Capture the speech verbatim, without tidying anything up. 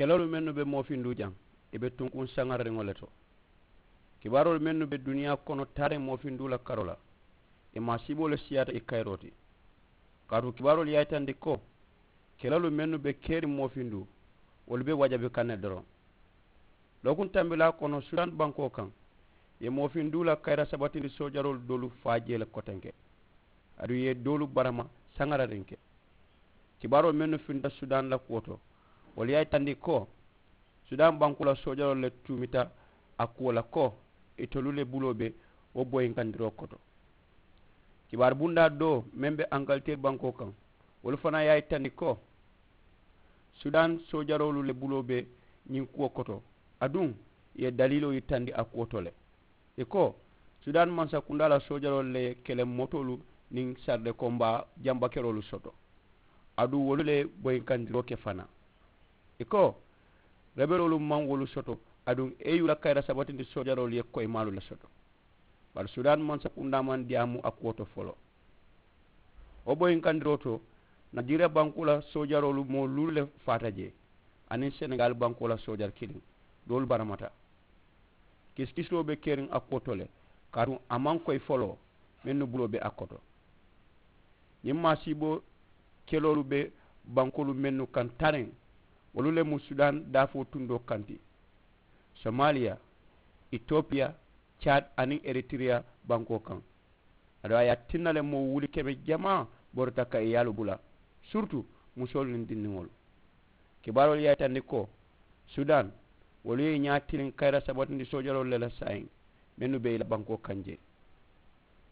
Keloolu mennu be moofinduu jaŋ, ì be tunkuŋ saŋarariŋo le to. Kibaaroolu mennu be duniyaa kono taariŋ moofinduu la karoo la, ì maasiiboo le siyaata ì kayiroo ti. Kaatu kibaaroolu ye a yitandi ko, keloolu mennu be keriŋ moofinduu, wolu be wajabi kaŋ ne doroŋ. Lookuŋ tambilaa kono sudani bankoo kaŋ, ì ye moofinduu la kayira sabatindi soojaroolu doolu faa jee le kotenke, aduŋ ì ye doolu barama saŋarariŋ ke. Kibaaroo mennu finta sudani la kuwo to, wolu ye a yitandi ko, sudani bankoo la soojaroolu le tuumita a kuwo la ko, itolu le buloo be wo boyinkandiroo koto. Kibaari bundaa doo meŋ be angaliteeri bankoo kaŋ, wolu fanaa ye a yitandi ko, sudani soojaroolu le buloo be ñiŋ kuwo koto, aduŋ ì ye daliiloo yitandi a kuwo to le. Ì ko, sudani mansakundaa la soojaroolu le ye keleŋ motoolu niŋ saridekonbaa jambakeroolu soto, aduŋ wolu le ye boyinkandiroo ke fanaa. Ì ko, rebeloolu maŋ wolu soto, aduŋ e yu la kayira sabatindi soojaroolu ye koyimaalu le soto. Bari sudani mansakundaa maŋ diyaamu a kuwo to foloo. Wo boyinkandiroo to, najeriya bankoo la soojaroolu moo luulu le faata jee, aniŋ senegali bankoo la soojari kiliŋ, doolu baramata. Kisikisiroo be keriŋ a kuwo to le, kaatu a maŋ koyi foloo mennu buloo be a koto. Ñiŋ maasiiboo keloolu be bankoolu mennu kaŋ tariŋ, wolu le mu sudani daafoo tundoo kaŋ ti, somaliya, itopiya, cadi aniŋ eritiriya bankoo kaŋ. Aduŋ a ye a tinna le moo wuli keme jamaa borita ka ì yaalu bula, siritu musoolu niŋ dindiŋolu. Kibaaroolu ye a yitandi ko, sudani, wolu ye ì ñaa tiliŋ kayira sabatindi soojaroolu le la saayiŋ, mennu be ì la bankoo kaŋ jee.